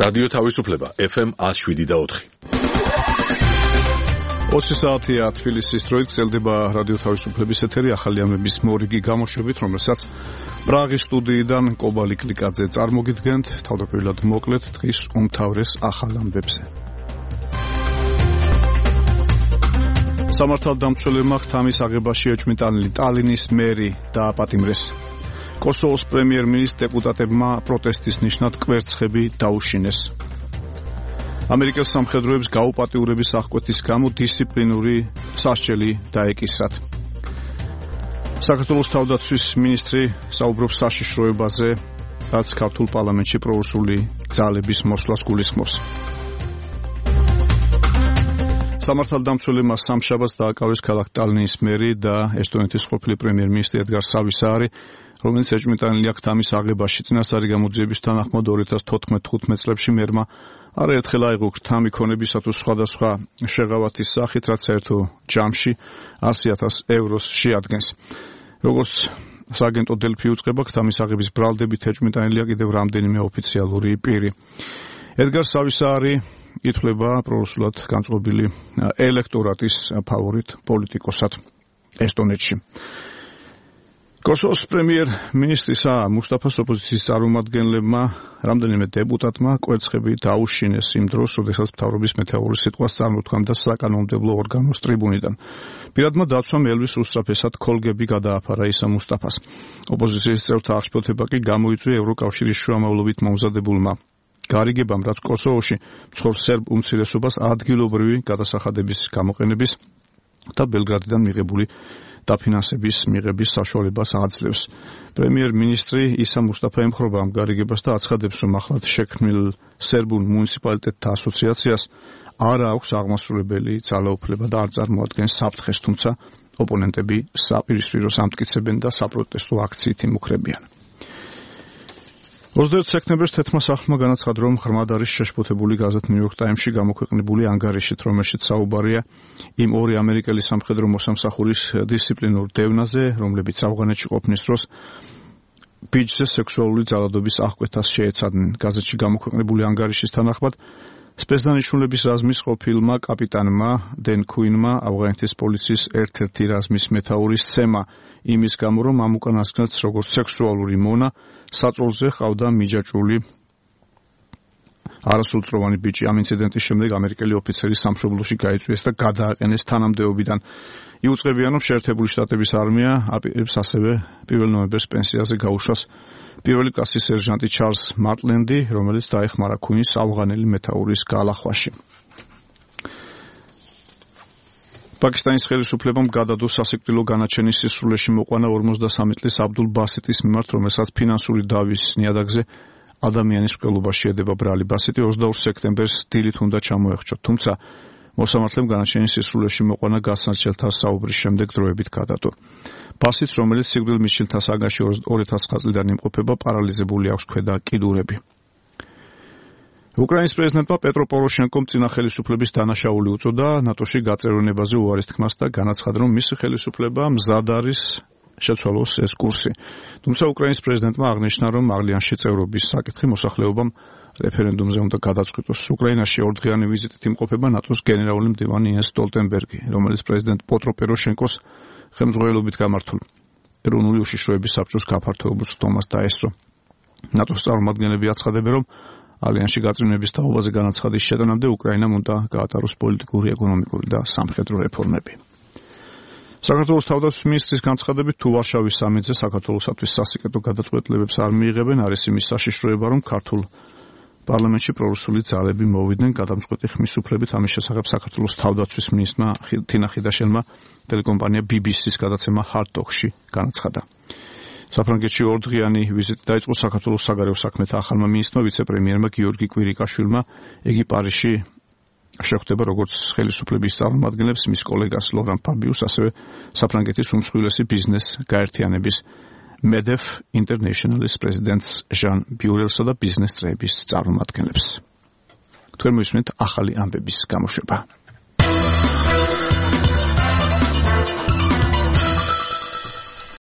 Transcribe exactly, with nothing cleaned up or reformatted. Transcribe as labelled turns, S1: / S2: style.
S1: რადიო თავისუფლება ეფ ემ ათს შვიდი და ოთხი.
S2: ოცი საათია თბილისის დროით გრძელდება რადიო თავისუფლების ეთერი ახალი ამების მორიგი გამოშვებით, რომელსაც პრაღის სტუდიიდან კობალი კლიკაძე წარმოგიდგენთ. თავდაპირველად მოკლედ დღის უმთავრეს ახალ ამბებზე. სამართალდამცველებმა ხთამის აღებაში ეჭვმიტანილი ტალინის მერი დააპატიმრეს. კოსოვოს პრემიერ-მინისტრ დეპუტატებმა პროტესტის ნიშნად კვერცხები დაუშინეს. ამერიკელ სამხედროებს გაუპატიურების აღკვეთის გამო დისციპლინური სასჯელი დაეკისრათ. საქართველოს თავდაცვის მინისტრი საუბრობს საშიშროებაზე, რაც ქართულ პარლამენტში პრორუსული ძალების მოსვლას გულისხმობს. სამართალდამცველებმა სამშაბათს დააკავეს ქალაქ ტალინის მერი და ესტონეთის ყოფილი პრემიერ-მინისტრი ედგარ სავისაარი, რომელიც ეჭვმიტანილი აქ თამის აღებაში წინასწარი გამოძიების თანახმად ორი ათას თოთხმეტ წლებში მერმა არაერთხელ აიღო თამი ქონებისათვის სხვადასხვა შეღავათის სახით, რაც საერთო ჯამში ასი ათას ევროს შეადგენს. როგორც სააგენტო დელფი უწყება, თამის აღების ბრალდებით ეჭვმიტანილია კიდევ რამდენიმე ოფიციალური პირი. ედგარ სავისაარი ითვლება პრორუსულად განწყობილი ელექტორატის ფავორიტ პოლიტიკოსად ესტონეთში. კოსოვოს პრემიერ-მინისტრისა მუსტაფას ოპოზიციის წარმომადგენლებმა რამდენიმე დეპუტატმა კვერცხები დაუშინეს იმ დროს, როდესაც მთავრობის მეთაურის სიტყვას წარმოთქვამდა საკანონმდებლო ორგანოს ტრიბუნიდან. პირადმა დაცვამ ელვის უსწრაფესად ქოლგები გადააფარა ისა მუსტაფას. ოპოზიციის წევრთა აღშფოთება კი გამოიწვია ევროკავშირის შუამავლობით მომზადებულმა გარიგებამ, რაც კოსოვოში მცხოვრ სერბ უმცირესობას ადგილობრივი გადასახადების გამოყენების და ბელგრადიდან მიღებული დაფინანსების მიღების საშუალებას აძლევს. პრემიერ-მინისტრი ისა მუსტაფა ემხრობა ამ გარიგებას და აცხადებს, რომ ახლად შექმნილ სერბულ მუნიციპალიტეტთა ასოციაციას არ აქვს აღმასრულებელი ძალაუფლება და არ წარმოადგენს საფრთხეს, თუმცა ოპონენტები საპირისპირო ამტკიცებენ და საპროტესტო აქციით იმუქრებიან. ოცდაერთი სექტემბერს თეთრმა სახლმა განაცხადა, რომ ღრმად არის შეშფოთებული გაზეთ New York Times-ში გამოქვეყნებული ანგარიშით, რომელშიც საუბარია იმ ორი ამერიკელი სამხედრო მოსამსახურის დისციპლინურ დევნაზე, რომლებიც ავღანეთში ყოფნის დროს ბიჭზე სექსუალური ძალადობის აღკვეთას შეეცადნენ. გაზეთში გამოქვეყნებული ანგარიშის თანახმად სპეცდანიშნულების რაზმის ყოფილმა კაპიტანმა დენ ქუინმა ავღანეთის პოლიციის ერთ-ერთი რაზმის მეთაურის სცემა იმის გამო, რომ ამ უკანასკნელს როგორც სექსუალური მონა საწოლზე ყავდა მიჯაჭვული არასრულწლოვანი ბიჭი. ამ ინციდენტის შემდეგ ამერიკელი ოფიცერი სამშობლოში გაიწვიეს და გადააყენეს თანამდებობიდან. იუწყებიან, რომ შეერთებული შტატების არმია აპირებს ასევე პირველ ნოემბერს პენსიაზე გაუშვას პირველი კლასის სერჟანტი ჩარლზ მარტლენდი, რომელიც დაეხმარა ქუინის ავღანელი მეთაურის გალახვაში. პაკისტანის ხელისუფლებამ გადადო სასიკვდილო განაჩენის სისრულეში მოყვანა ორმოცდასამი წლის აბდულ ბასიტის მიმართ, რომელსაც ფინანსური დავის ნიადაგზე ადამიანის მკვლელობაში ედება ბრალი. ბასიტი ოცდაორ სექტემბერს დილით უნდა ჩამოეხჩოთ, თუმცა მოსამართლემ განაჩენის სისრულეში მოყვანა გასაცილთა საუბრის შემდეგ დროებით გადადო. ბასიტს, რომელიც სიკვდილ მისჯილთა საგანში ორი ათას ცხრა წლიდან იმყოფება, პარალიზებული აქვს ქვედა კიდურები. უკრაინის პრეზიდენტმა პეტრო პოროშენკომ წინა ხელისუფლების დანაშაული უწოდა ნატოში გაწევრიანებაზე უარის თქმას და განაცხადა, რომ მისი ხელისუფლება მზად არის შეცვალოს ეს კურსი. თუმცა უკრაინის პრეზიდენტმა აღნიშნა, რომ ალიანსში წევრობის საკითხი მოსახლეობამ რეფერენდუმზე უნდა გადაწყვიტოს. უკრაინაში ორდღიანი ვიზიტით იმყოფება ნატოს გენერალური მდივანი იენს სტოლტენბერგი, რომელიც პრეზიდენტ პეტრო პოროშენკოს ხელმძღვანელობით გამართულ ეროვნული უშიშროების საბჭოს გაფართოებულ ცდომას დაესწრო. ნატოს წარმომადგენლები აცხადებენ, რომ ალიანსში გაწევრიანების თაობაზე განაცხადის შეტანამდე უკრაინამ უნდა გაატაროს პოლიტიკური, ეკონომიკური და სამხედრო რეფორმები. საქართველოს თავდაცვის მინისტრის განცხადებით, თუ ვარშავის სამიტზე საქართველოსათვის სასიკეთო გადაწყვეტილებებს არ მიიღებენ, არის იმის საშიშროება, რომ ქართულ პარლამენტში პრორუსული ძალები მოვიდნენ გადამწყვეტი ხმის უფლებით. ამის შესახებ საქართველოს თავდაცვის მინისტრმა თინა ხიდაშელმა ტელეკომპანია ბი ბი სის გადაცემა Hard Talk-ში განაცხადა. საფრანგეთში ორდღიანი ვიზიტი დაიწყო საქართველოს საგარეო საქმეთა ახალმა მინისტრმა ვიცე-პრემიერმა გიორგი კვირიკაშვილმა. იგი პარიზში შეხვდება როგორც ხელისუფლების წარმომადგენლებს, მის კოლეგას ლორან ფაბიუს, ასევე საფრანგეთის უმსხვილესი ბიზნეს გაერთიანების მედეფ ინტერნეშნალის პრეზიდენტს ჟან ბიურელსა და ბიზნეს წრეების წარმომადგენლებს. თქვენ მოისმენთ ახალი ამბების გამოშვება.